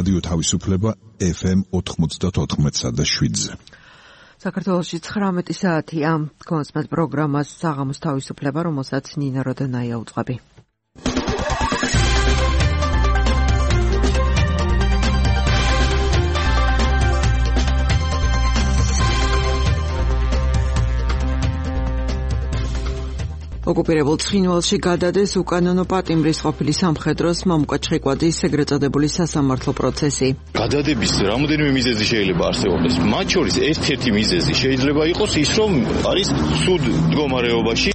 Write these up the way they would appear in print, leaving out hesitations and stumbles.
რადიო თავისუფლება FM 94.7-ზე. საქართველოში 19 საათია. კონსმეთ პროგრამას საღამოს თავისუფლება, რომელსაც ნინა როდანაია უძღვები. ოკუპირებულ ცხინვალში გადადეს უკანონო პატიმრის ყოფილი სამხედროს მამუკა ჩხიკვაძის ეგრეთ წოდებული სასამართლო პროცესი. გადადების რამოდენიმე მიზეზი შეიძლება არსებობდეს. მათ შორის ერთ-ერთი მიზეზი შეიძლება იყოს ის, რომ არის სუდ მდგომარეობაში.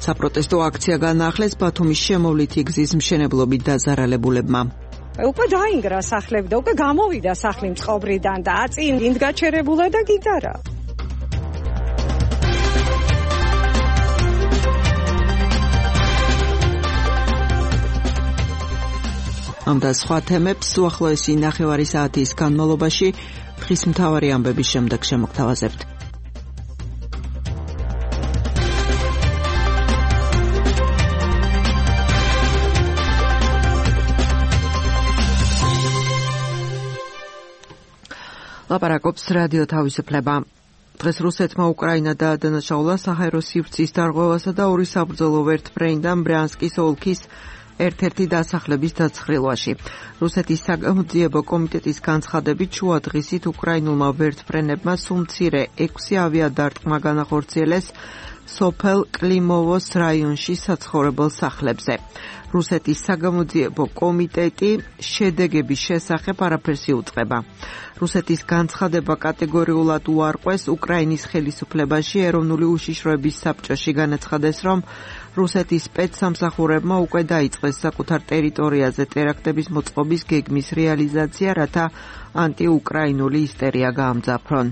საპროტესტო აქცია განაახლეს ბათუმის შემოვლითი გზის მშენებლობით დაზარალებულებმა. უკვე დაინგრა სახლები და უკვე გამოვიდა სახლი მწყობრიდან და აწინ ინდგაჩერებულა და გიტარა. ამ და სხვა თემებს უახლოესი ნახევარი საათის განმავლობაში დღის მთავარი ამბების შემდეგ შემოგთავაზებთ. ლაპარაკობს რადიო თავისუფლება. დღეს რუსეთმა უკრაინა დაადანაშაულა საჰაერო სივრცის დარღვევასა და ორი საბრძოლო ვერტმფრენიდან ბრიანსკის ოლქის ერთ-ერთი დასახლების დაცხრილვაში. რუსეთის საგამოძიებო კომიტეტის განცხადებით შუა დღისით უკრაინულმა ვერტმფრენებმა სულ მცირე 6 ავიადარტყმა განახორციელეს სოფელ კლიმოვოს რაიონში საცხოვრებელ სახლებზე. რუსეთის საგამოძიებო კომიტეტი შედეგების შესახებ არაფერს იუწყება. რუსეთის განცხადება კატეგორიულად უარყვეს უკრაინის ხელისუფლებაში ეროვნული უშიშროების საბჭოში განაცხადეს, რომ რუსეთის სპეცსამსახურებმა უკვე დაიწყეს საკუთარ ტერიტორიაზე ტერაქტების მოწყობის გეგმის რეალიზაცია, რათა ანტიუკრაინული ისტერია გაამძაფრონ.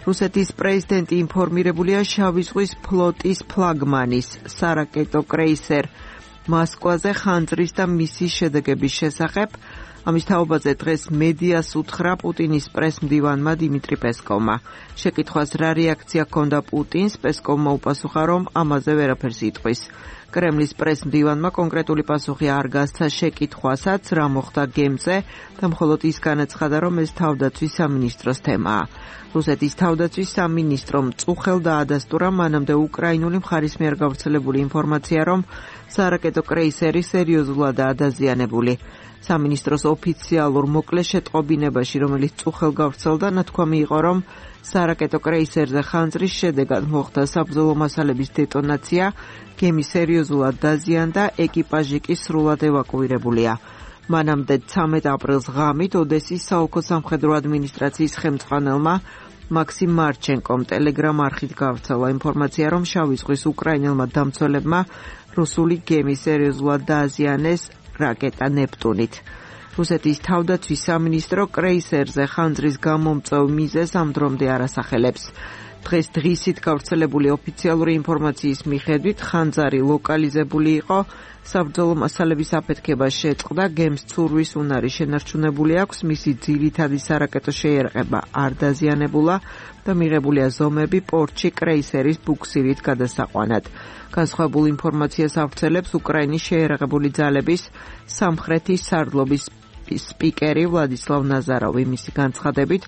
რუსეთის პრეზიდენტი ინფორმირებულია შავი ზღვის ფლოტის ფლაგმანის სარაკეტო კრეისერ მოსკვაზე ხანძრის და მისის შედეგების შესახებ. ამის თაობაზე დღეს მედიას უთხრა პუტინის პრესმდივანმა დიმიტრი პესკოვმა. შეკითხვას რა რეაქცია ჰქონდა პუტინს, პესკოვმა უპასუხა, რომ ამაზე ვერაფერს იტყვის. კრემლის პრესმდივანმა კონკრეტული პასუხი არ გასცა შეკითხვასაც, რა მოხდა გემზე და მხოლოდ ის განაცხადა, რომ ეს თავდაცვის სამინისტროს თემაა. რუსეთის თავდაცვის სამინისტრომ წუხელ დაადასტურა მანამდე უკრაინული მხარის მიერ გავრცელებული ინფორმაცია, რომ სარაკეტო კრეისერი სერიოზულადაა დაზიანებული. სამინისტროს ოფიციალურ მოკლე შეტყობინებაში, რომელიც წუხელ გავრცელდა, ნათქვამი იყო, რომ სარაკეტო კრეისერზე ხანძრის შედეგად მოხდა საბრძოლო მასალების დეტონაცია, გემი სერიოზულად დაზიანდა, ეკიპაჟი კი სრულად ევაკუირებულია. მანამდე 13 აპრილს ღამით ოდესის საოლქო სამხედრო ადმინისტრაციის ხელმძღვანელმა მაქსიმ მარჩენკომ ტელეგრამ არხით გავრცელა ინფორმაცია, რომ შავი ზღვის უკრაინელმა დამცველებმა რუსული გემი სერიოზულად დააზიანეს რაკეტა ნეპტუნით. რუსეთის თავდაცვის სამინისტრო კრეისერზე ხანძრის გამომწვევ მიზეზს ამ დრომდე არ ასახელებს. დღეს დღისით გავრცელებული ოფიციალური ინფორმაციის მიხედვით ხანძარი ლოკალიზებული იყო, საბრძოლო მასალების აფეთქება შეწყდა, გემს ცურვის უნარი შენარჩუნებული აქვს, მისი ძირითადი სარაკეტო შეიარაღება არ დაზიანებულა და მიღებულია ზომები პორტში კრეისერის ბუქსირით გადასაყვანად. განსხვავებულ ინფორმაციას ავრცელებს უკრაინის შეიარაღებული ძალების სამხრეთის სარდლობის სპიკერი ვლადისლავ ნაზაროვი. მისი განცხადებით,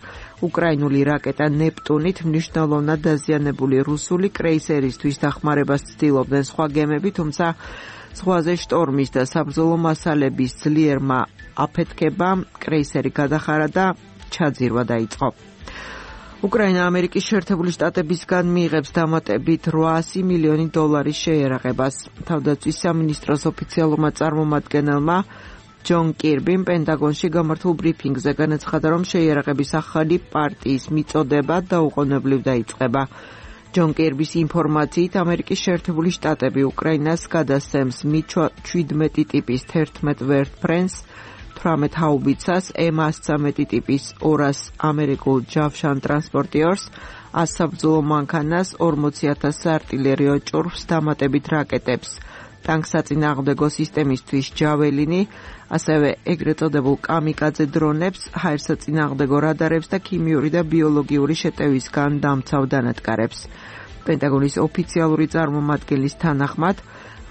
უკრაინული რაკეტა ნეპტუნით მნიშვნელოვნად დაზიანებული რუსული კრეისერისთვის დახმარებას ცდილობდნენ სხვა გემები, თუმცა ზღვაზე შტორმის და საბრძოლო მასალების ძლიერმა აფეთქებამ კრეისერი გადახარა და ჩაძირვა დაიწყო. უკრაინა ამერიკის შეერთებული შტატებისგან მიიღებს დამატებით $800 მილიონი შეიარაღებას. თავდაცვის სამინისტროს ოფიციალურმა წარმომადგენელმა ჯონ კირბიმ პენტაგონში გამართულ ბრიფინგზე განაცხადა, რომ შეიარაღების ახალი პარტიის მიწოდება დაუყოვნებლივ დაიწყება. ჯონ კირბის ინფორმაციით, ამერიკის შეერთებული შტატები უკრაინას გადასცემს Mi-17 ტიპის 11 ვერტმფრენს, 18 ჰაუბიცას, M-113 ტიპის 200 ამერიკულ ჯავშან ტრანსპორტიორს, 100 საბრძოლო მანქანას, 40,000 საარტილერიო ჭურვს, დამატებით რაკეტებს, ტანკსაწინააღმდეგო სისტემისთვის ჯაველინი, ასევე ეგრეთ წოდებულ კამიკაძე დრონებს, ჰაერსაწინააღმდეგო რადარებს და ქიმიური და ბიოლოგიური შეტევისგან დამცავ დანადგარებს. პენტაგონის ოფიციალური წარმომადგენლის თანახმად,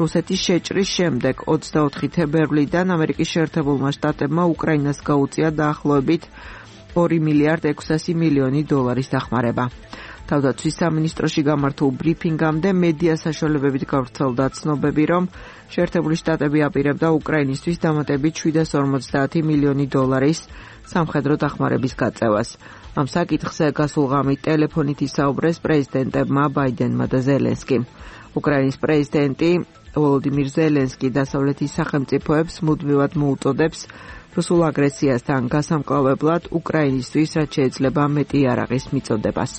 რუსეთის შეჭრის შემდეგ 24 თებერვლიდან ამერიკის შეერთებულმა შტატებმა უკრაინას გაუწია დაახლოებით 2 მილიარდ 600 მილიონი დოლარის დახმარება. თავდაცვის სამინისტროში გამართულ ბრიფინგამდე მედია საშუალებებით გავრცელდა ცნობები, რომ შეერთებული შტატები აპირებდა უკრაინისთვის დამატებით 750 მილიონი დოლარის სამხედრო დახმარების გაწევას. ამ საკითხზე გასულ ღამით ტელეფონით ისაუბრეს პრეზიდენტებმა ბაიდენმა და ზელენსკიმ. უკრაინის პრეზიდენტი ვოლოდიმირ ზელენსკი დასავლეთის სახელმწიფოებს მუდმივად მოუწოდებს რუსულ აგრესიასთან გასამკლავებლად უკრაინისთვის, რაც შეიძლება მეტი იარაღის მიწოდებას.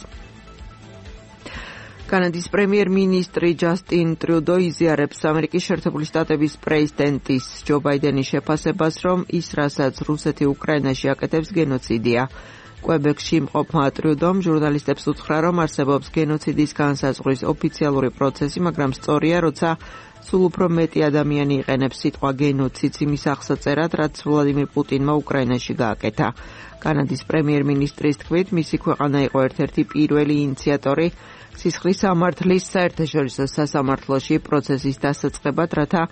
კანადის პრემიერ-მინისტრი ჯასტინ ტრუდო იზიარებს ამერიკის შეერთებული შტატების პრეზიდენტის ჯო ბაიდენის შეფასებას, რომ ის, რასაც რუსეთი უკრაინაში აკეთებს, გენოციდია. კვებეკში მყოფმა ტრუდომ ჟურნალისტებს უთხრა, რომ არსებობს გენოციდის განსაზღვრის ოფიციალური პროცესი, მაგრამ სწორია, როცა სულ უფრო მეტი ადამიანი იყენებს სიტყვა გენოციდს იმის აღსაწერად, რაც ვლადიმირ პუტინმა უკრაინაში გააკეთა. კანადის პრემიერ-მინისტრის თქმით, მისი ქვეყანა იყო ერთ-ერთი პირველი ინიციატორი სისხლის სამართლის საერთაშორისო სასამართლოში პროცესის დასაწყებად, რათა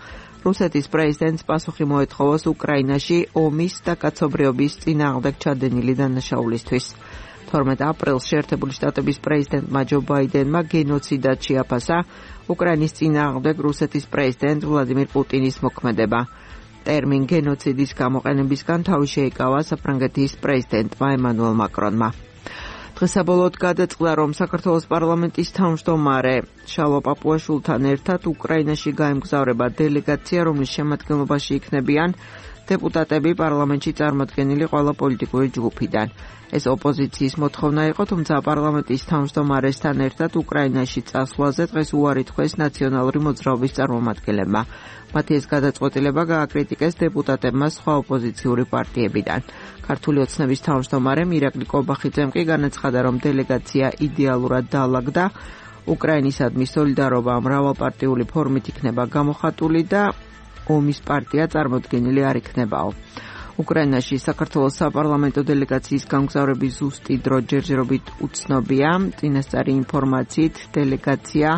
რუსეთის პრეზიდენტს პასუხი მოეთხოვოს უკრაინაში ომის და კაცობრიობის წინააღმდეგ ჩადენილი დანაშაულისთვის. 12 აპრილს შეერთებული შტატების პრეზიდენტმა ჯო ბაიდენმა გენოციდად შეაფასა უკრაინის წინააღმდეგ რუსეთის პრეზიდენტ ვლადიმირ პუტინის მოქმედება. ტერმინ გენოციდის გამოყენებისგან თავი შეიკავა საფრანგეთის პრეზიდენტმა ემანუელ მაკრონმა. დღეს საბოლოოდ გადაწყდა, რომ საქართველოს პარლამენტის თავმჯდომარე შალვა პაპუაშვილთან ერთად უკრაინაში გაემგზავრება დელეგაცია, რომლის შემადგენლობაში იქნებიან დეპუტატები პარლამენტში წარმოდგენილი ყველა პოლიტიკური ჯგუფიდან. ეს ოპოზიციის მოთხოვნა იყო, თუმცა პარლამენტის თავმჯდომარესთან ერთად უკრაინაში წასვლაზე დღეს უარი თქვეს ნაციონალური მოძრაობის წარმომადგენლებმა. მათი ეს გადაწყვეტილება გააკრიტიკეს დეპუტატებმა სხვა ოპოზიციური პარტიებიდან. ქართული ოცნების თავმჯდომარე მირაკლი კობახიძემ კი განაცხადა, რომ დელეგაცია იდეალურად დაალაგდა, უკრაინისადმი სოლიდარობა მრავალპარტიული ფორმით იქნება გამოხატული და ომის პარტია წარმოდგენილი არ იქნებაო. უკრაინაში საქართველოს საპარლამენტო დელეგაციის გამგზავრების ზუსტი დრო ჯერჯერობით უცნობია. წინასწარი ინფორმაციით დელეგაცია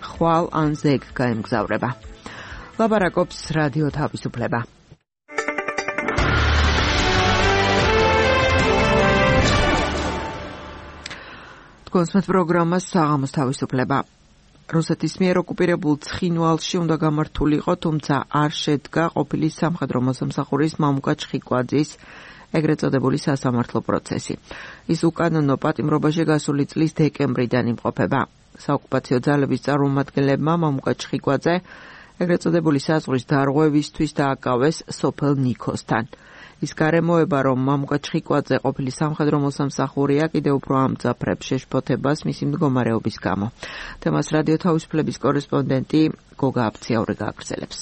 ხვალ ან ზეგ გაემგზავრება. ლაპარაკობს რადიო თავისუფლება. თქვენს პროგრამას საღამოს თავისუფლება. რუსეთის მიერ ოკუპირებულ ცხინვალში უნდა გამართულიყო, თუმცა არ შედგა ყოფილი სამხედრო მოსამსახურის მამუკა ჩხიკვაძის ეგრეთ წოდებული სასამართლო პროცესი. ის უკანონო პატიმრობაში გასული წლის დეკემბრიდან იმყოფება. საოკუპაციო ძალების წარმომადგენლებმა მამუკა ჩხიკვაძე ეგრეთ წოდებული საზღვრის დარღვევისთვის დააკავეს სოფელ ნიქოსთან. ის გარემოება, რომ მამუკა ჩხიკვაძე ყოფილი სამხედრო მოსამსახურია, კიდევ უფრო ამძაფრებს შეშფოთებას მისი მდგომარეობის გამო. თემას რადიო თავისუფლების კორესპონდენტი გოგა აფციაური გააგრძელებს.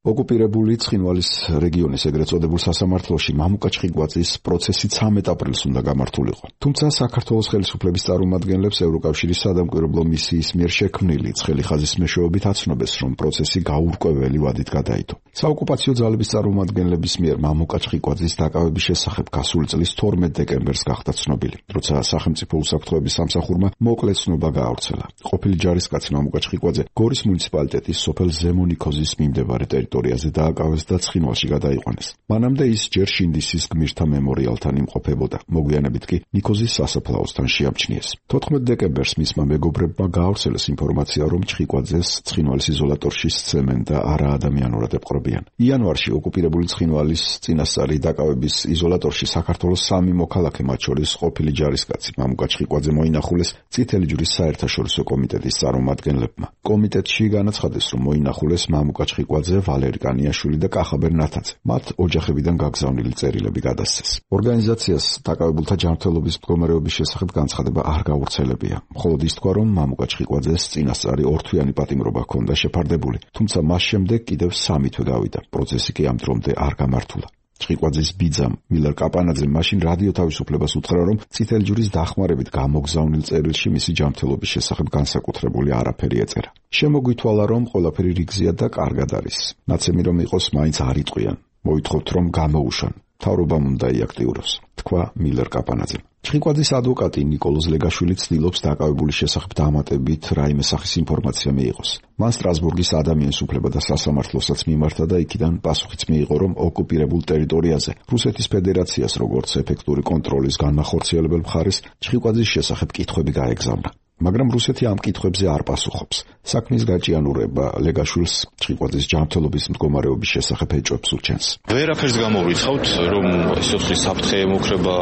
ოკუპირებული ცხინვალის რეგიონის ეგრეთ წოდებულ სასამართლოში მამუკა ჩხიკვაძის პროცესი 13 აპრილს უნდა გამართულიყო. თუმცა საქართველოს ხელისუფლების წარმომადგენლებს ევროკავშირის სადამკვირვებლო მისიის მიერ შექმნილი ცხელი ხაზის მეშვეობით აცნობეს, რომ პროცესი გაურკვეველი ვადით გადაიდო. საოკუპაციო ძალების წარმომადგენლების მიერ მამუკა ჩხიკვაძის დაკავების შესახებ გასული წლის 12 დეკემბერს გახდა ცნობილი, როცა სახელმწიფო უსაფრთხოების სამსახურმა მოკლე ცნობა გაავრცელა. ყოფილი ჯარისკაცი მამუკა ჩხიკვაძე გორის მუნიციპალიტეტის სოფელ ზემონიქოზის მიმდებარე ტერიტორიაზე დააკავეს და ცხინვალში გადაიყვანეს. მანამდე ის ჯერ შინდისის გმირთა მემორიალთან იმყოფებოდა. მოგვიანებით კი ნიქოზის სასაფლაოსთან შეამჩნიეს. 14 დეკემბერს მისმა მეგობრებმა გაავრცელეს ინფორმაცია, რომ ჩხიკვაძეს ცხინვალის იზოლატორში სცემენ და არა ადამიანურად ეპყრობიან. იანვარში ოკუპირებული ცხინვალის წინასწარი დაკავების იზოლატორში საქართველოს 3 მოქალაქე, მათ შორის ყოფილი ჯარისკაცი მამუკა ჩხიკვაძე მოინახულეს წითელი ჯვრის საერთაშორისო კომიტეტის წარმომადგენლებმა. კომიტეტში განაცხადეს, რომ მოინახულეს მამუკა ჩხიკვაძე, ვალერი კანიაშვილი და კახაბერ ნათაძე. მათ ოჯახებიდან გაგზავნილი წერილები გადასცეს. ორგანიზაციას დაკავებულთა ჯანმრთელობის მდგომარეობის შესახებ განცხადება არ გავრცელებია. მხოლოდ ის თქვა, რომ მამუკა ჩხიკვაძეს წინასწარი ორთვიანი პატიმრობა ჰქონდა შეფარდებული, თუმცა მას შემდეგ კიდევ 3 თვე გავიდა. პროცესი კი ამ დრომდე არ გამართულა. ჭყიყვაძის ბიძამ მილერ კაპანაძემ მაშინ რადიო თავისუფლებას უთხრა, რომ წითელი ჯვრის დახმარებით გამოგზავნილ წერილში მისი ჯანმრთელობის შესახებ განსაკუთრებული არაფერი ეწერა. შემოგვითვალა, რომ ყველაფერი რიგზია და კარგად არის. ნაცემი რომ იყოს, მაინც არ იტყვიან. მოითხოვთ, რომ გამოუშვან. მთავრობამ უნდა იაქტიუროს, თქვა მილერ კაპანაძემ. ჭყიყვაძის ადვოკატი ნიკოლოზ ლეგაშვილი ცდილობს დაკავებული შესახებ დამატებით რაიმე სახის ინფორმაცია მიიღოს. მან სტრასბურგის ადამიანის უფლება და სასამართლოსაც მიმართა და იქიდან პასუხიც მიიღო, რომ ოკუპირებულ ტერიტორიაზე რუსეთის ფედერაციას როგორც ეფექტური კონტროლის განმახორციელებელ მხარეს ჭყიყვაძის შესახებ კითხვები გაეგზავნა. მაგრამ რუსეთი ამ კითხვებზე არ პასუხობს. საქმის გაჭიანურება ლეგაშვილს ჭყიყვაძის ჯანმრთელობის მდგომარეობის შესახებ ეჭვებს უჩენს. ვერაფერს გამოვრიცხავთ, რომ სიცოცხლის საფრთხე ემუქრება,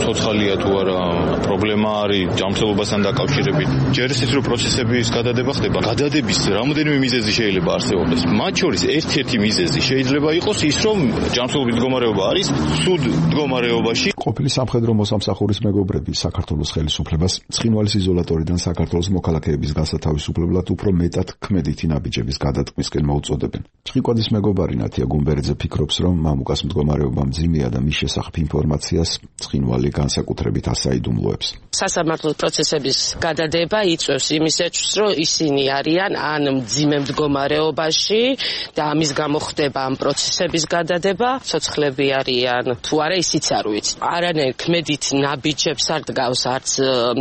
ცოცხალია თუ არა, პრობლემა არის ჯანმრთელობასთან დაკავშირებით. ჯერ ისიც რომ პროცესების გადადება ხდება, გადადების რამოდენიმე მიზეზი შეიძლება არსებობდეს. მათ შორის ერთ-ერთი მიზეზი შეიძლება იყოს ის, რომ ჯანმრთელობის მდგომარეობა არის ცუდ მდგომარეობაში. ყოფილი სამხედრო მოსამსახურის მეგობრები საქართველოს ხელისუფლებას ცხინვალის იზოლატორიდან საქართველოს მოქალაქეების გასათავისუფლებლად უფრო მეტად ქმედითი ნაბიჯების გადატყვისკენ მოუწოდებენ. ჭყიყვაძის მეგობარი ნათია გუმბერიძე ფიქრობს, რომ მამუკას მდგომარეობა მძიმეა და მის შესახებ ინფორმაციას ცხინვალი განსაკუთრებით ასაიდუმლოებს. სასამართლო პროცესების გადადება იწვევს იმისათვის, რომ ისინი არიან ან მძიმე მდგომარეობაში და ამის გამო ხდება ამ პროცესების გადადება, ცოცხლები არიან თუ არა ისიც არ ვიცი. არანაირ ქმედით ნაბიჯებს არ დგავს არც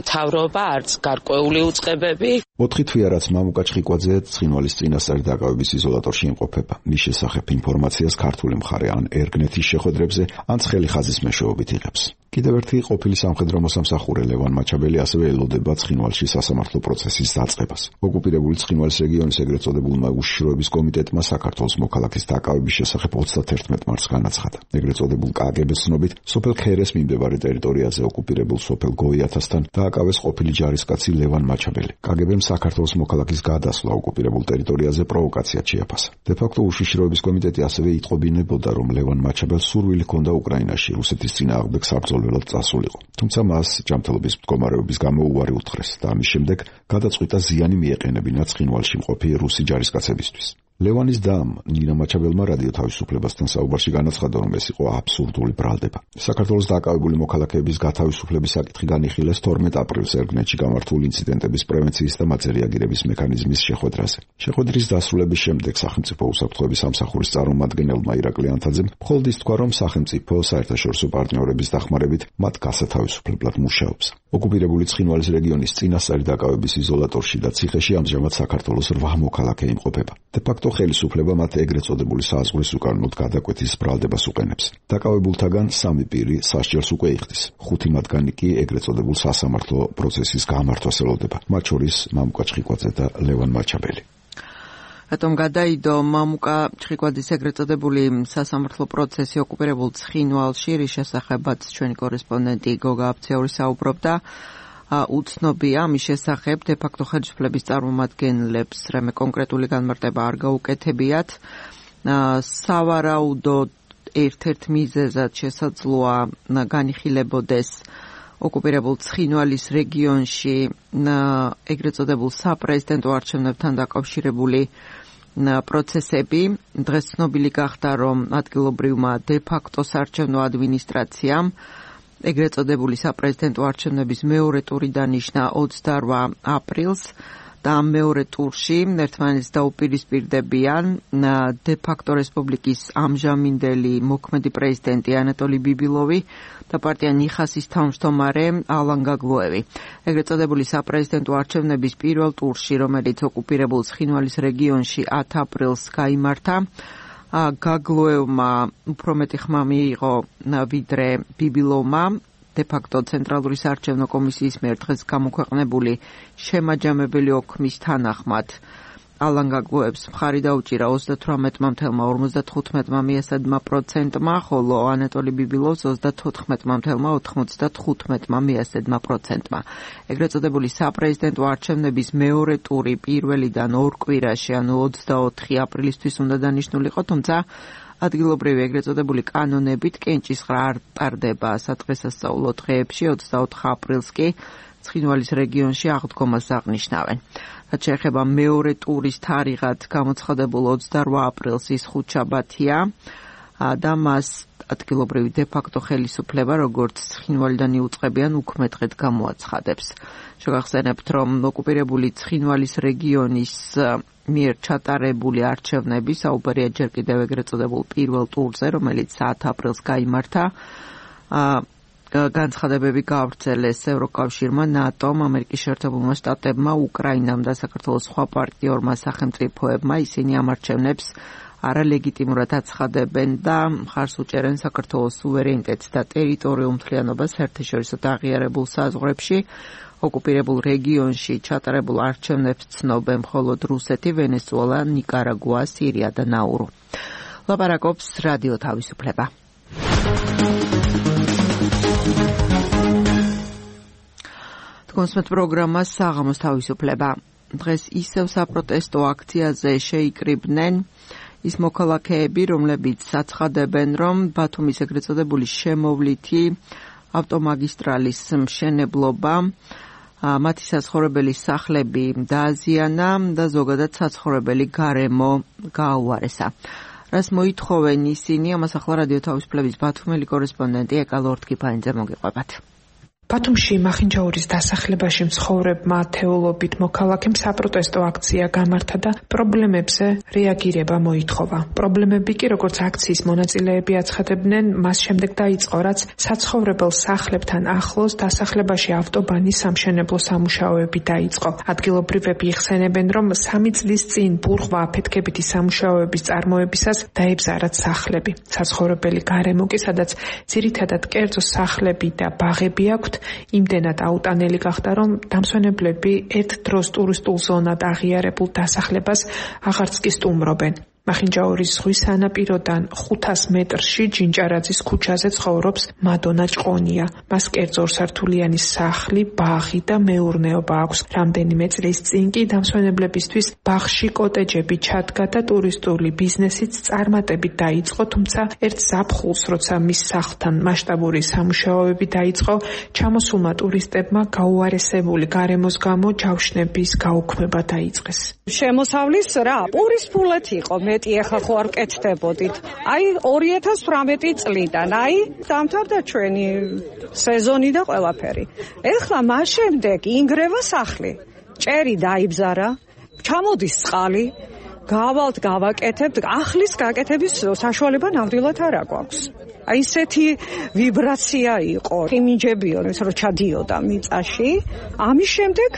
მთავრობა, არც გარკვეული უწყებები. 4 თვეა რაც მამუკა ჭყიყვაძე ცხინვალის წინასწარი დაკავების იზოლატორში იმყოფება. მის შესახებ ინფორმაციას ქართული მხარე ან ერგნეთის შეხვედრებზე, ან ცხელი ხაზის მეშვეობით იღებს. კიდევ ერთი ყოფილი სამხედრო მოსამსახურე ლევან მაჩაბელი ასევე ელოდება ცხინვალში სასამართლო პროცესის დაწყებას. ოკუპირებული ცხინვალის რეგიონის ეგრეთ წოდებულმა უშიშროების კომიტეტმა საქართველოს მოქალაქის დაკავების შესახებ 31 მარტს განაცხადა. ეგრეთ წოდებულ კგბ-ს ცნობით, სოფელ ქერეს მიმდებარე ტერიტორიაზე ოკუპირებულ სოფელ გოიათასთან დააკავეს ყოფილი ჯარისკაცი ლევან მაჩაბელი. კგბ-მ საქართველოს მოქალაქის გადასვლა ოკუპირებულ ტერიტორიაზე პროვოკაციად შეაფასა. დე-ფაქტო უშიშროების კომიტეტი ასევე იტყობინებოდა, რომ ლევან მაჩაბელს სურვილი ჰქონდა უკრაინაში რუსეთის წინააღმდეგ საბრძოლველად წასულიყო. თუმცა მას ჯანმრთელობის მდგომარეობის გამო უარი უთხრეს და ამის შემდეგ გადაწყვიტა ზიანი მიეყენებინა ცხინვალში მყოფი რუსი ჯარისკაცებისთვის. ლევანის დამ ნინა მაჩაბელმა რადიო თავისუფლებასთან საუბარში განაცხადა, რომ ეს იყო აბსურდული ბრალდება. საქართველოს დაკავებული მოქალაქეების გათავისუფლების საკითხი განიხილეს 12 აპრილს ერგნეთში გამართულ ინციდენტების პრევენციის და მათზე რეაგირების მექანიზმის შეხვედრაზე. შეხვედრის დასრულების შემდეგ სახელმწიფო უსაფრთხოების სამსახურის წარმომადგენელმა ირაკლი ანთაძემ მხოლოდ ის თქვა, რომ სახელმწიფო საერთაშორისო პარტნიორების დახმარებით მათ გასათავისუფლებლად მუშაობს. ოკუპირებული ცხინვალის რეგიონის წინასწარი დაკავების იზოლატორში და ციხეში ამჟამად საქართველოს 8 მოქალაქე იმყოფება. დე-ფაქტო ხელისუფლება მათ ეგრეთ წოდებული საზღვრის უკანონოდ გადაკვეთის ბრალდებას უყენებს. დაკავებულთაგან 3 პირი სასჯელს უკვე იხდის. 5 მათგანი კი ეგრეთ წოდებულ სასამართლო პროცესის გამართვას ელოდება. მათ შორის მამუკა ჭყიყვაძე და ლევან მაჩაბელი. რატომ გადაიდო მამუკა ჭყიყვაძის ეგრეთ წოდებული სასამართლო პროცესი ოკუპირებულ ცხინვალში, რის შესახებაც ჩვენი კორესპონდენტი გოგა აფციური საუბრობდა. უცნობია ამის შესახებ, დე-ფაქტო ხელისუფლების წარმომადგენლებს რამე კონკრეტული განმარტება არ გაუკეთებიათ. სავარაუდოდ ერთ-ერთ მიზეზად შესაძლოა განიხილებოდეს ოკუპირებულ ცხინვალის რეგიონში ეგრეთ წოდებულ საპრეზიდენტო არჩევნებთან დაკავშირებული პროცესები. დღეს ცნობილი გახდა, რომ ადგილობრივმა დე-ფაქტო საარჩევნო ადმინისტრაციამ ეგრეთ წოდებული საპრეზიდენტო არჩევნების მეორე ტური დანიშნა 28 აპრილს და ამ მეორე ტურში ერთმანეთს დაუპირისპირდებიან დე-ფაქტო რესპუბლიკის ამჟამინდელი მოქმედი პრეზიდენტი ანატოლი ბიბილოვი და პარტია ნიხასის თავმჯდომარე ალან გაგლუევი. ეგრეთ წოდებული საპრეზიდენტო არჩევნების პირველ ტურში, რომელიც ოკუპირებულ ცხინვალის რეგიონში 10 აპრილს გაიმართა, გაგლუევმა უფრო მეტი ხმა მიიღო ვიდრე ბიბილოვმა. დე-ფაქტო ცენტრალური საარჩევნო კომისიის მიერ დღეს გამოქვეყნებული შემაჯამებელი ოქმის თანახმად ალან გაგლუევს მხარი დაუჭირა 38,55%-მა, ხოლო ანატოლი ბიბილოვს 34,95%-მა. ეგრეთ წოდებული საპრეზიდენტო არჩევნების მეორე ტური პირველიდან 2 კვირაში, ანუ 24 აპრილისთვის უნდა დანიშნულიყო, თუმცა ადგილობრივი ეგრეთ წოდებული კანონებით კენჭისყრა არ ტარდება სადღესასწაულო დღეებში. 24 აპრილს კი ცხინვალის რეგიონში აღდგომას აღნიშნავენ. რაც შეეხება მეორე ტურის თარიღად გამოცხადებულ 28 აპრილს ის ხუთშაბათია. და მას ადგილობრივი დე-ფაქტო ხელისუფლება როგორც ცხინვალიდან იუწყებიან უქმე დღედ გამოაცხადებს. შეგახსენებთ, რომ ოკუპირებული ცხინვალის რეგიონის მიერ ჩატარებული არჩევნები საუბარია ჯერ კიდევ ეგრეთ წოდებულ პირველ ტურზე, რომელიც 10 აპრილს გაიმართა. განცხადებები გაავრცელეს ევროკავშირმა, ნატომ, ამერიკის შეერთებულმა შტატებმა, უკრაინამ და საქართველოს სხვა პარტნიორმა სახელმწიფოებმა. ისინი ამ არჩევნებს არალეგიტიმურად აცხადებენ და მხარს უჭერენ საქართველოს სუვერენიტეტს და ტერიტორიულ მთლიანობას საერთაშორისო აღიარებულ საზღვრებში. ოკუპირებულ რეგიონში ჩატარებულ არჩევნებს ცნობენ მხოლოდ რუსეთი, ვენესუელა, ნიკარაგუა, სირია და ნაურუ. ლაპარაკობს რადიო თავისუფლება. კონსმეთ პროგრამა საღამოს თავისუფლება. დღეს ისევ საპროტესტო აქციაზე შეიკრიბნენ ის მოქალაქეები, რომლებიც აცხადებენ, რომ ბათუმის ეგრეთ წოდებული შემოვლითი ავტომაგისტრალის მშენებლობა მათი საცხოვრებელი სახლები დააზიანა და ზოგადად საცხოვრებელი გარემო გააუარესა. რას მოითხოვენ ისინი, ამას ახლა რადიო თავისუფლების ბათუმელი კორესპონდენტი ეკა ლორთქიფანიძე მოგიყვებათ. ბათუმში მახინჯაურის დასახლებაში მცხოვრებმა ათეულობით მოქალაქემ საპროტესტო აქცია გამართა და პრობლემებზე რეაგირება მოითხოვა. პრობლემები კი, როგორც აქციის მონაწილეები აცხადებდნენ, მას შემდეგ დაიწყო, რაც საცხოვრებელ სახლებთან ახლოს დასახლებაში ავტობანის სამშენებლო სამუშაოები დაიწყო. ადგილობრივები იხსენებენ, რომ 3 წლის წინ ბურღვა აფეთქებითი სამუშაოების წარმოებისას დაებზარათ სახლები. საცხოვრებელი გარემო კი, სადაც ძირითადად კერძო სახლები და ბაღები აქვთ, იმდენად აუტანელი გახდა, რომ დამსვენებლები ერთ დროს ტურისტულ ზონად აღიარებულ დასახლებას აღარც კი სტუმრობენ. მახინჯაურის ზღვის სანაპიროდან 500 მეტრში ჯინჭარაძის ქუჩაზე ცხოვრობს მადონა ჭყონია. მას კერძო ორსართულიანი სახლი, ბაღი და მეურნეობა აქვს. რამდენიმე წლის წინ კი დამსვენებლებისთვის ბაღში კოტეჯები ჩადგა და ტურისტული ბიზნესიც წარმატებით დაიწყო, თუმცა ერთ ზაფხულს, როცა მის სახლთან მასშტაბური სამუშაოები დაიწყო, ჩამოსულმა ტურისტებმა გაუარესებული გარემოს გამო ჯავშნების გაუქმება დაიწყეს. შემოსავლის რა, პურის ფულეთ იყო. ეხლა ხო არ კეთდებოდით. აი 2018 წლიდან, დამთავრდა ჩვენი სეზონი და ყველაფერი. ეხლა მას შემდეგ ინგრევა სახლი. ჭერი დაიბზარა, ჩამოდის წყალი, გავალთ გავაკეთებთ, ახლის გაკეთების საშუალება ნამდვილად არ აქვს. აი ესეთი ვიბრაცია იყო. იმინჯებიო, ის რომ ჩადიოდა მიწაში. ამის შემდეგ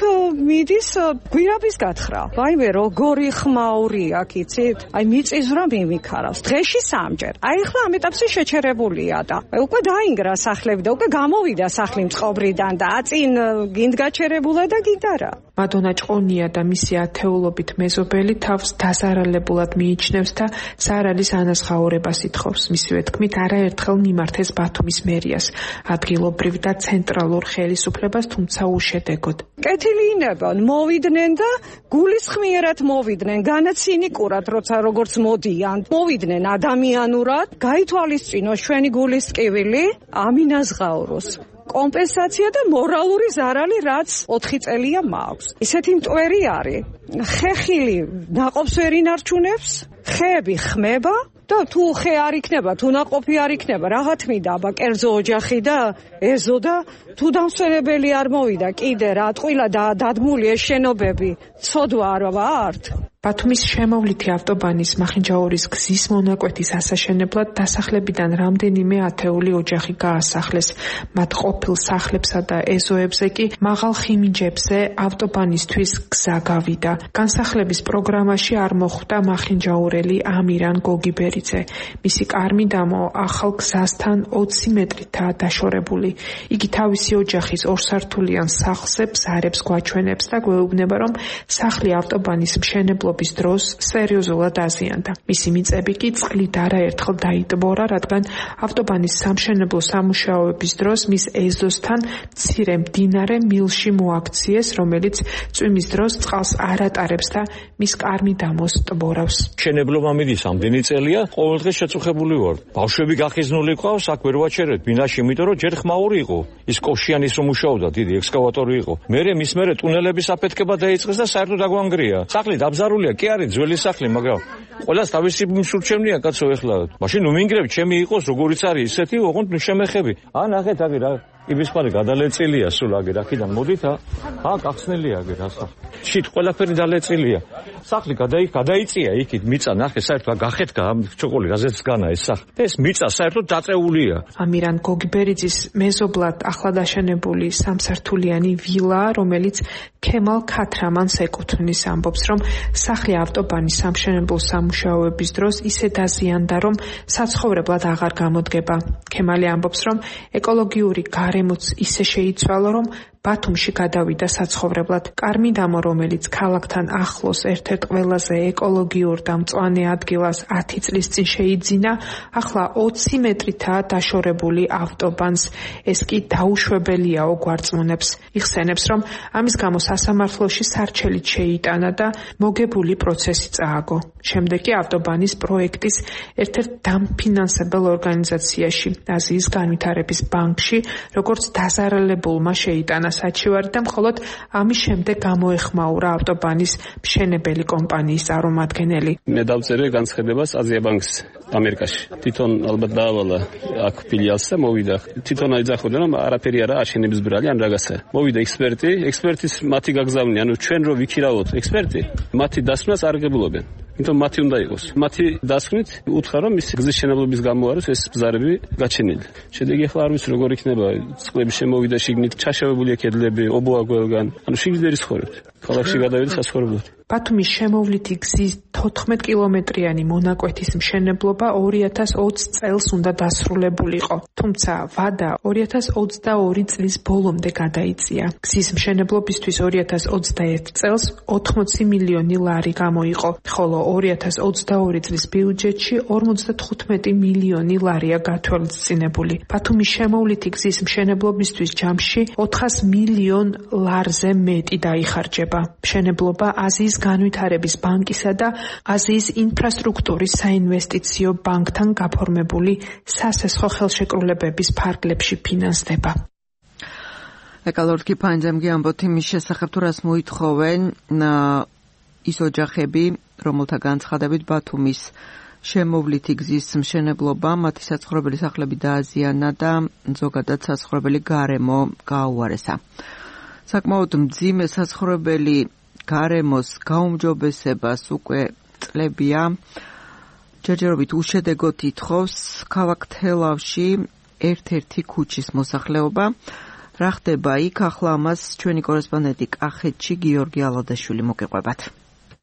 მიდის გვირაბის გათხრა. ვაიმე, როგორი ხმაური აქ იცით? აი მიწისძვრა მიმიქარავს. დღეში 3 ჯერ. აი ახლა ამ ეტაპზე შეჩერებულია და უკვე დაინგრა სახლები და უკვე გამოვიდა სახლი მწყობრიდან და აწინ გინდ გაჩერებულა და გინდარა. მადონა ჭყონია და მისი ათეულობით მეზობელი თავს დაზარალებულად მიიჩნევს და ზარალის ანაზღაურებას ითხოვს. მისივე თქმით, არაერთხელ მიმართეს ბათუმის მერიას, ადგილობრივ და ცენტრალურ ხელისუფლებას, თუმცა უშედეგოდ. კეთილინებან მოვიდნენ და გულისხმიერად მოვიდნენ, განაცინიკურად, როცა როგორც მოდიან, მოვიდნენ ადამიანურად, გაითვალისწინოს ჩვენი გულის ტკივილი, ამინაზღაუროს. კომპენსაცია და მორალური ზარალი, რაც 4 წელია მაქვს. ისეთი მტვერი არის. ხეხილი ნაყოფს ვერ ინარჩუნებს, ხეები ხმება და თუ ხე არ იქნება, თუ ნაყოფი არ იქნება, რაღა თმიდა, აბა კერძო ოჯახი და ეზო და თუ დამსვენებელი არ მოვიდა, კიდე რა ტყილა და დადგმული ეს შენობები, ცოდვა არ ვართ. ბათუმის შემოვლითი ავტობანის მახინჯაურის გზის მონაკვეთის ასაშენებლად დასახლებიდან რამდენიმე ათეული ოჯახი გაასახლეს. მათ ყოფილ სახლებსა და ეზოებზე კი მაღალ ხიმინჯებზე ავტობანისთვის გზა გავიდა. განსახლების პროგრამაში არ მოხვდა მახინჯაურელი ამირან გოგიბერიძე. მისი კარმიდამო ახალ გზასთან 20 მეტრითაა დაშორებული. იგი თავისი ოჯახის ორსართულიან სახლზე ბზარებს გვაჩვენებს და გვეუბნება, რომ სახლი ავტობანის მშენებლობის დროს სერიოზულად აზიანდა. მისი მიწები კი წყლით არაერთხელ დაიტბორა, რადგან ავტობანის სამშენებლო სამუშაოების დროს მის ეზოსთან მცირე მდინარე მილში მოაქციეს, რომელიც წვიმის დროს წყალს არ ატარებს და მის კარმიდამოს ტბორავს. მშენებლობა მიდის ამდენი წელია, ყოველდღე შეწუხებული ვარ. ბავშვები გახიზნული ყავს, აქ ვერ ვაჩერეთ ბინაში, იმიტომ რომ ჯერ ხმაური იყო. ის კოშიანის რომ მუშაობდა, დიდი ექსკავატორი იყო. მერე მის მერე ტუნელების აფეთქება დაიწყეს და საერთოდ აგვანგრია. სახლი დაბზარული დაზიანებულია, კი არის ძველი სახლი, მაგრამ ყველას თავისი მსურჩევნია კაცო ეხლა. მაშინ ნუ მინგრებ, ჩემი იყოს როგორიც არის ისეთი, ოღონდ ნუ შემეხები. ნახეთ, აგერ იბისყარი გადალეწილია სულ აგერ აქედან მოდით, გახსნილია აგერ ასა. შით ყველაფერი დალეწილია. სახლი გადაიწია იქით, მიწა ნახე, საერთოდ გახეთკა ამ ჩოკოლი რაზეც განა ეს სახლი. ეს მიწა საერთოდ დაწეულია. ამირან გოგიბერიძის მეზობლად ახლად აშენებული სამსართულიანი ვილა, რომელიც ქემალ ქათრამანს ეკუთვნის, ამბობს, რომ სახლი ავტობანის სამშენებლო სამუშაოების დროს ისე დაზიანდა, რომ საცხოვრებლად აღარ გამოდგება. ქემალი ამბობს, რომ ეკოლოგიური გარემოც ისე შეიცვალა, რომ ბათუმში გადავიდა საცხოვრებლად. კარმიდამო, რომელიც ქალაქთან ახლოს ერთ-ერთ ყველაზე ეკოლოგიურ და მწვანე ადგილას 10 წლის წინ შეიძინა, ახლა 20 მეტრითაა დაშორებული ავტობანს. ეს კი დაუშვებელიაო გვარწმუნებს. იხსენებს, რომ ამის გამო სასამართლოში სარჩელით შეიტანა და მოგებული პროცესი წააგო. შემდეგ კი ავტობანის პროექტის ერთ-ერთ დამფინანსებელ ორგანიზაციაში, აზიის განვითარების ბანკში, როგორც დაზარალებულმა შეიტანა საჩივარი და მხოლოდ ამის შემდეგ გამოეხმაურა ავტობანის მშენებელი კომპანიის წარმომადგენელი. მე დავწერე განცხადებას აზია ბანკს ამერიკაში. თვითონ ალბათ დაავალა აქ ფილიალს და მოვიდა. თვითონ აიძახოდა, რომ არაფერი არა აშენების ბრალი ან რაღაცა. მოვიდა ექსპერტის მათი გაგზავნი, ანუ ჩვენ რო ვიქირავოთ ექსპერტი, მათი დასვნას არ გებულობენ. იმიტომ მათი უნდა იყოს. მათი დასვნით უთხრა, რომ ის გზის შენებლობის გამო არის ეს ბზარები გაჩენილი. შედეგი ახლა არ ვიცი როგორ იქნება, წყლები შემოვიდა შიგნით, ჩაშავებულია კედლები, ობოა გველგან. ანუ შიგნით ვერ ისხორებთ. ქალაქში გადავიდა საცხოვრებლად. ბათუმის შემოვლითი გზის 14 კილომეტრიანი მონაკვეთის მშენებლობა 2020 წელს უნდა დასრულებულიყო. თუმცა ვადა 2022 წლის ბოლომდე გადაიწია. გზის მშენებლობისთვის 2021 წელს 80 მილიონი ლარი გამოიყო, ხოლო 2022 წლის ბიუჯეტში 55 მილიონი ლარია გათვალისწინებული. ბათუმის შემოვლითი გზის მშენებლობისთვის ჯამში 400 მილიონ ლარზე მეტი დაიხარჯება. მშენებლობა აზიის განვითარების ბანკისა და აზიის ინფრასტრუქტურის საინვესტიციო ბანკთან გაფორმებული სასესხო ხელშეკრულებების ფარგლებში ფინანსდება. ეკალორდკი ფანჯემგი ამბობთ იმის შესახებ, თუ რას მოითხოვენ ის ოჯახები, რომელთა განცხადებით ბათუმის შემოვლითი გზის მშენებლობა მათი საცხოვრებელი სახლები დააზიანა და ზოგადად საცხოვრებელი გარემო გააუარესა. საკმაოდ მძიმე საცხოვრებელი გარემოს გაუმჯობესებას უკვე წლებია ჯერჯერობით უშედეგოდ ითხოვს ქალაქ თელავში ერთ-ერთი ქუჩის მოსახლეობა. რა ხდება იქ, ახლა ამას ჩვენი კორესპონდენტი კახეთში გიორგი ალადაშვილი მოგიყვებათ.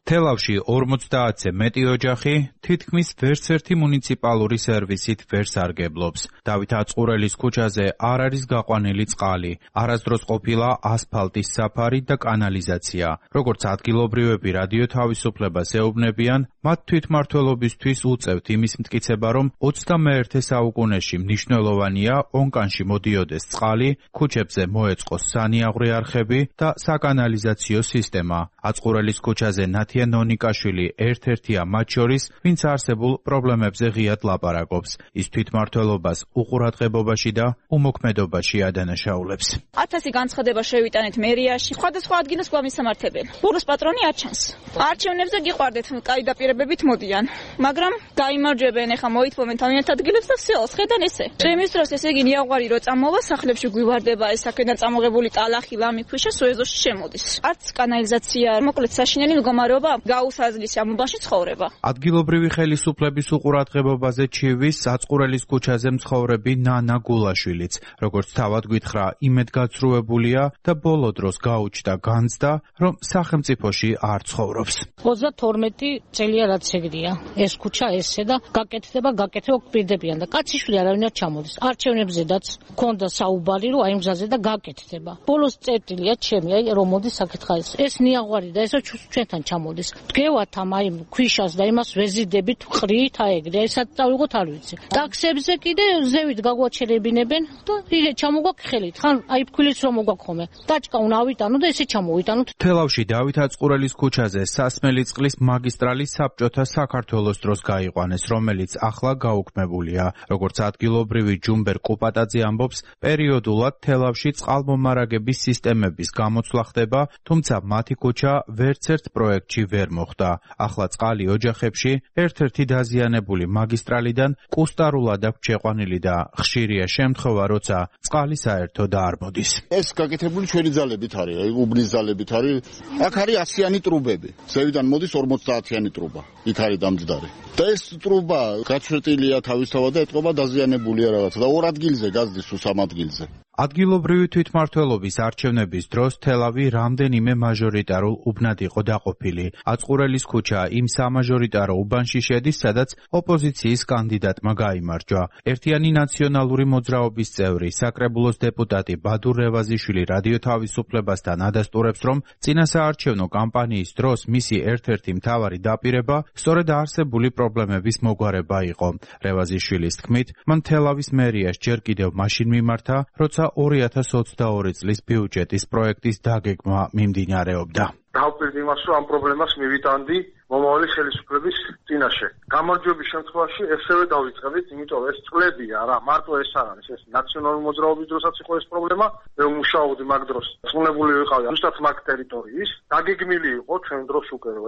თელავში 50-ზე მეტი ოჯახი თითქმის ვერცერთი მუნიციპალური სერვისით ვერ სარგებლობს. დავით აწყურელის ქუჩაზე არ არის გაყვანილი წყალი, არასდროს ყოფილა ასფალტის საფარი და კანალიზაცია. როგორც ადგილობრივები რადიო თავისუფლებას ეუბნებიან, მათ თვითმმართველობისთვის უწევთ იმის მტკიცება, რომ 21 საუკუნეში მნიშვნელოვანია ონკანში მოდიოდეს წყალი, ქუჩებზე მოეწყოს სანიაღვრე არხები და საკანალიზაციო სისტემა. აწყურელის ქუჩაზე ნონიკაშვილი ერთ-ერთია მათ შორის, ვინც არსებულ პრობლემებზე ღიად ლაპარაკობს. ის თვითმმართველობას უყურადღებობაში და უმოქმედობაში ადანაშაულებს. 1000 განცხადება შევიტანეთ მერიაში, სხვადასხვა ადგილას გვამისამართებელი. ბუროს პატრონი არ ჩანს. არჩევნებზე გიყვარდეთ, კაი დაპირებებით მოდიან, მაგრამ გაიმარჯვებენ, ეხა მოითხოვენ თავიანთ ადგილებს და სიოლს ხედან ესე. ჩემის დროს ესე იგი ნიაღვარი რო წამოვა, სახლებში გვივარდება ეს აქედან წამოღებული ტალახი, ლამი, ქვიშა სუეზოში შემოდის. არც კანალიზაცია, მოკლედ საშინელი მდგომარეობა გაუსაზლის ამბაში ცხოვრება. ადგილობრივი ხელისუფლების უყურადღებობაზე ჩივის აწყურელის ქუჩაზე მცხოვრები ნანა გულაშვილიც, როგორც თავად გითხრა, იმედგაცრუებულია და ბოლო დროს გაუჩნდა განცდა, რომ სახელმწიფოში არ ცხოვრობს. 32 წელია რაც ეგრეა. ეს ქუჩა ესე და გაკეთდება გვპირდებიან და კაციშვილი არავინ არ ჩამოდის. არჩევნებზედაც ქონდა საუბარი, რომ აი მზაზე და გაკეთდება. ბოლოს წერტილია ჩემი, აი რომ მოდის საკითხა ეს. ეს ნიაღვარი და ესო ჩვენთან ჩამოდის. დგევათ ამ აი ქვიშას და იმას ვეზიდებით ყრით აეგრე, ესაც წავიღოთ არ ვიცი. ტაქსებზე კიდე ზევით გაგვაჩერებინებენ და იგე ჩამოგვაქვს ხელით. ხან აი ფქვილიც რომ მოგაქხომე. ტაჭკა უნდა ავიტანო და ესე ჩამოვიტანოთ. თელავში დავით აწყურელის ქუჩაზე სასმელი წყლის მაგისტრალი საბჭოთა საქართველოს დროს გაიყვანეს, რომელიც ახლა გაუქმებულია. როგორც ადგილობრივი ჯუმბერ კუპატაძე ამბობს, პერიოდულად თელავში წყალმომარაგების სისტემების გამოცვლა ხდება, თუმცა მათი ქუჩა ვერცერთ პროექტში ვერ მოხდა. ახლა წყალი ოჯახებში ერთ-ერთი დაზიანებული მაგისტრალიდან კუსტარულად აქვს შეყვანილი და ხშირია შემთხვევა, როცა წყალი საერთოდ არ მოდის. ეს გაკეთებული ჩვენი ძალებით არის, უბნის ძალებით არის. აქ არის 100-იანი ტრუბები. ზევიდან მოდის 50-იანი ტრუბა. იქ არის დამძდარი. და ეს ტრუბა გაჩვეტილია თავისთავად და ეთყობა დაზიანებულია რაღაცა და ორ ადგილზე გაზდის თუ სამ ადგილზე. ადგილობრივი თვითმმართველობის არჩევნების დროს თელავი რამდენიმე მაჟორიტარულ უბნად იყო დაყოფილი. აწყურელის ქუჩა იმ სამაჟორიტარო უბანში შედის, სადაც ოპოზიციის კანდიდატმა გაიმარჯვა. ერთიანი ნაციონალური მოძრაობის წევრი, საკრებულოს დეპუტატი ბადურ რევაზიშვილი რადიო თავისუფლებასთან ადასტურებს, რომ წინასაარჩევნო კამპანიის დროს მისი ერთ-ერთი მთავარი დაპირება სწორედ არსებული პრობლემების მოგვარება იყო. რევაზიშვილის თქმით, მან თელავის მერიას ჯერ კიდევ მაშინ მიმართა, როცა 2022 წლის ბიუჯეტის პროექტის დაგეგმა მიმდინარეობდა. დავწერდი იმას, რომ ამ პრობლემას მივიტანდი მომავალი ხელისუფლების წინაშე. გამარჯვების შემთხვევაში ესევე დავიწყებთ, იმიტომ ეს წლებია რა, მარტო ეს არ არის, ეს ნაციონალური მოძრაობის დროსაც იყო ეს პრობლემა, მე ვმუშაობდი მაგ დროს. წვნებული ვიყავი ზუსტად მაგ ტერიტორიის, დაგეგმილი იყო ჩვენ დროს უკვე, რომ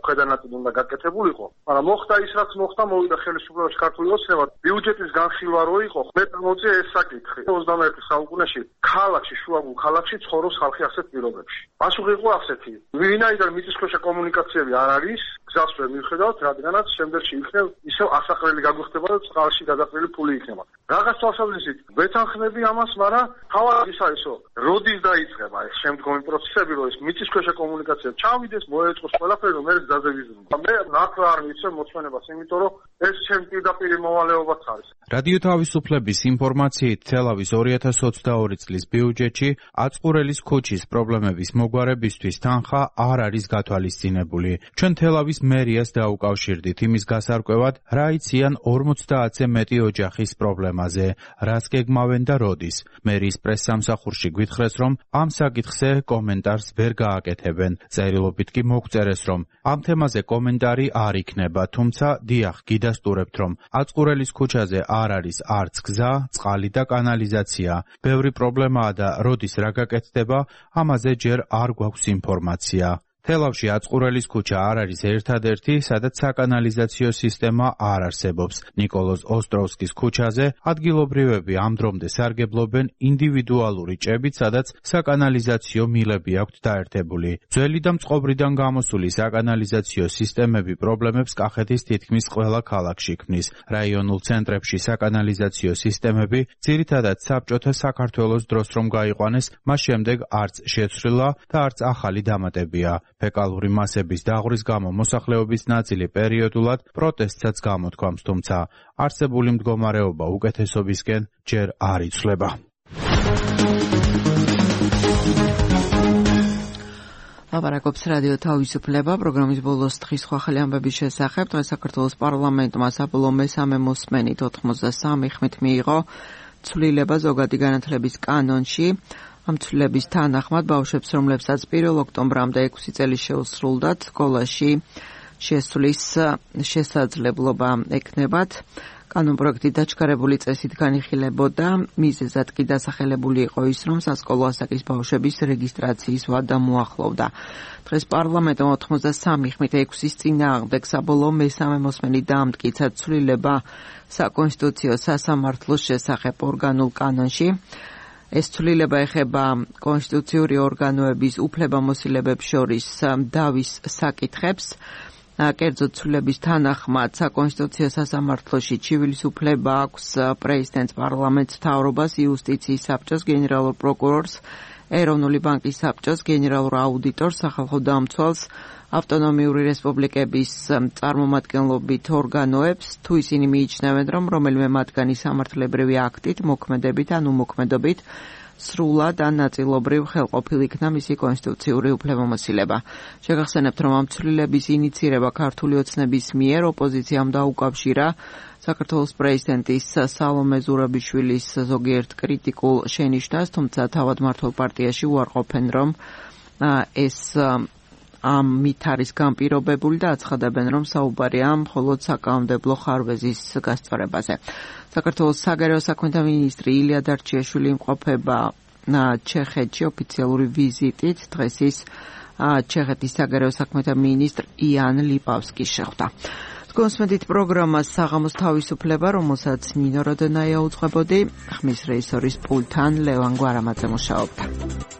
ქვედანაწილი უნდა გაკეთებულიყო, მაგრამ მოხდა ის, რაც მოხდა, მოვიდა ხელისუფლებაში ქართული ოცნება, ბიუჯეტის განხილვა რო იყო, მე წამოწია ეს საკითხი. 21 საუკუნეში ქალაქში, შუაგულ ქალაქში ცხოვრობს ხალხი ასეთ პირობებში. პასუხი იყო ასეთი. ვინაიდან მიწისქვეშა კომუნიკაციები არ არის, გზას ვერ მივხედავთ, რადგანაც შემდეგში იქნება ისევ ასაყრელი გაგვიხდება და წყალში გადაყრილი ფული იქნება. რაღაც თვალსაზრისით ვეთანხმები ამას, მაგრამ თავად ის არის, რომ როდის დაიწყება ეს შემდგომი პროცესები, რომ ეს მიწისქვეშა კომუნიკაციები ჩავიდეს, მოეწყოს ყველაფერი, რომ მე გზაზე ვიზრუნო. მე ნახვა არ მიცემ მოწმენებას, იმიტომ რომ ეს ჩემ პირდაპირ მოვალეობაც არის. რადიო თავისუფლების ინფორმაციით, თელავის 2022 წლის ბიუჯეტში აწყურელის ქუჩის პრობლემების მოგვარებისთვის თანხა არ არის გათვალისწინებული. ჩვენ თელავის მერიას დაუკავშირდით იმის გასარკვევად, რა იციან 50-ზე მეტი ოჯახის პრობლემაზე, რას გეგმავენ და როდის. მერიის პრესსამსახურში გვითხრეს, რომ ამ საკითხზე კომენტარს ვერ გააკეთებენ. წერილობით კი მოგწერეს, რომ ამ თემაზე კომენტარი არ იქნება, თუმცა დიახ, გიდასტურებთ, რომ აწყურელის ქუჩაზე არ არის არც გზა, წყალი და კანალიზაცია. ბევრი პრობლემაა და როდის რა გაკეთდება, ამაზე ჯერ არ გვაქვს ინფორმაცია. თელავში აწყურელის ქუჩა არ არის ერთადერთი, სადაც საკანალიზაციო სისტემა არ არსებობს. ნიკოლოზ ოსტროვსკის ქუჩაზე ადგილობრივები ამ დრომდე სარგებლობენ ინდივიდუალური ჭებით, სადაც საკანალიზაციო მილები აქვთ დაერთებული. ძველი და მწყობრიდან გამოსული საკანალიზაციო სისტემები პრობლემებს კახეთის თითქმის ყველა ქალაქში ქმნის. რაიონულ ცენტრებში საკანალიზაციო სისტემები ძირითადად საბჭოთა საქართველოს დროს რომ გაიყვანეს, მას შემდეგ არც შეცვლილა და არც ახალი დამატებია. ფეკალური მასების დაღრის გამო მოსახლეობის ნაწილი პერიოდულად პროტესტსაც გამოთქვამს, თუმცა არსებული მდგომარეობა უკეთესობისკენ ჯერ არ იცვლება. ლაპარაკობს რადიო თავისუფლება, პროგრამის ბოლოს დღის ხვალ ამბების შესახებ. დღეს საქართველოს პარლამენტმა საბოლოო მესამე მოსმენით 83 ხმით მიიღო ცვლილება ზოგადი განათლების კანონში. ამ ცვლილების თანახმად ბავშვებს, რომლებსაც 1 ოქტომბრამდე 6 წელი შეუსრულდათ, სკოლაში შესვლის შესაძლებლობა ექნებათ. კანონპროექტი დაჩქარებული წესით განიხილებოდა, მიზეზად კი დასახელებული იყო ის, რომ სასკოლო ასაკის ბავშვების რეგისტრაციის ვადა მოახლოვდა. დღეს პარლამენტმა 83 ხმით 6-ის წინააღმდეგ საბოლოო მესამე მოსმენით დაამტკიცა ცვლილება საკონსტიტუციო სასამართლოს შესახებ ორგანულ კანონში. ეს ცვლილება ეხება კონსტიტუციური ორგანოების უფლებამოსილებებს შორის დავის საკითხებს. კერძოდ ცვლილების თანახმად საკონსტიტუციო სასამართლოში ჩივილის უფლება აქვს პრეზიდენტს, პარლამენტს, მთავრობას, იუსტიციის საბჭოს, გენერალურ პროკურორს, ეროვნული ბანკის საბჭოს, გენერალურ აუდიტორს, სახალხო დამცველს, ავტონომიური რესპუბლიკების წარმომადგენლობით ორგანოებს, თუ ისინი მიიჩნევენ, რომ რომელიმე მათგანი სამართლებრივი აქტით, მოქმედებით ან უმოქმედობით სრულად ან ნაწილობრივ ხელყოფილ იქნა მისი კონსტიტუციური უფლებამოსილება. შეგახსენებთ, რომ ამ ცვლილების ინიცირება ქართული ოცნების მიერ ოპოზიციამ დაუკავშირა საქართველოს პრეზიდენტის სალომე ზურაბიშვილის ზოგიერთ კრიტიკულ შენიშვნას, თუმცა თავად მმართველ პარტიაში უარყოფენ, რომ ეს ამით არის განპირობებული და აცხადებენ, რომ საუბარია მხოლოდ საკანონმდებლო ხარვეზის გასწორებაზე. საქართველოს საგარეო საქმეთა მინისტრი ილია დარჩიაშვილი იმყოფება ჩეხეთში ოფიციალური ვიზიტით. დღეს ის ჩეხეთის საგარეო საქმეთა მინისტრ იან ლიპავსკის შეხვდა. კონსმედით პროგრამას საღამოს თავისუფლება, რომელსაც ნინო როდენაია უძღვებოდი, ხმის რეჟისორის პულტთან ლევან გვარამაძე მუშაობდა.